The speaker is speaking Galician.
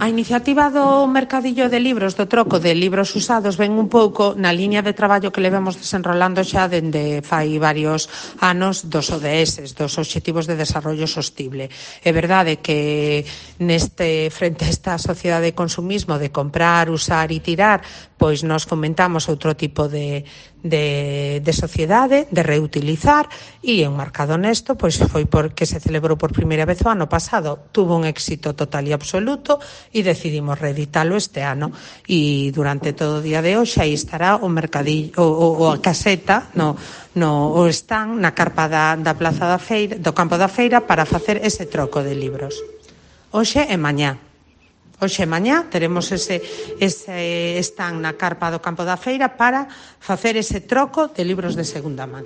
A iniciativa do mercadillo de libros, do troco de libros usados, ven un pouco na liña de traballo que levemos desenrolando xa dende fai varios anos dos ODS, dos Obxectivos de Desarrollo Sostible. É verdade que frente a esta sociedade de consumismo de comprar, usar e tirar, pois nos fomentamos outro tipo de sociedade, de reutilizar, e enmarcado nesto, pois foi porque se celebrou por primeira vez o ano pasado, tuvo un éxito total e absoluto e decidimos reeditalo este ano, e durante todo o día de hoxe aí estará o mercadillo, a caseta, o stand na carpa da Plaza da Feira, do Campo da Feira, para facer ese troco de libros. Hoxe e mañá. Hoxe e mañá teremos ese stand na carpa do Campo da Feira para facer ese troco de libros de segunda man.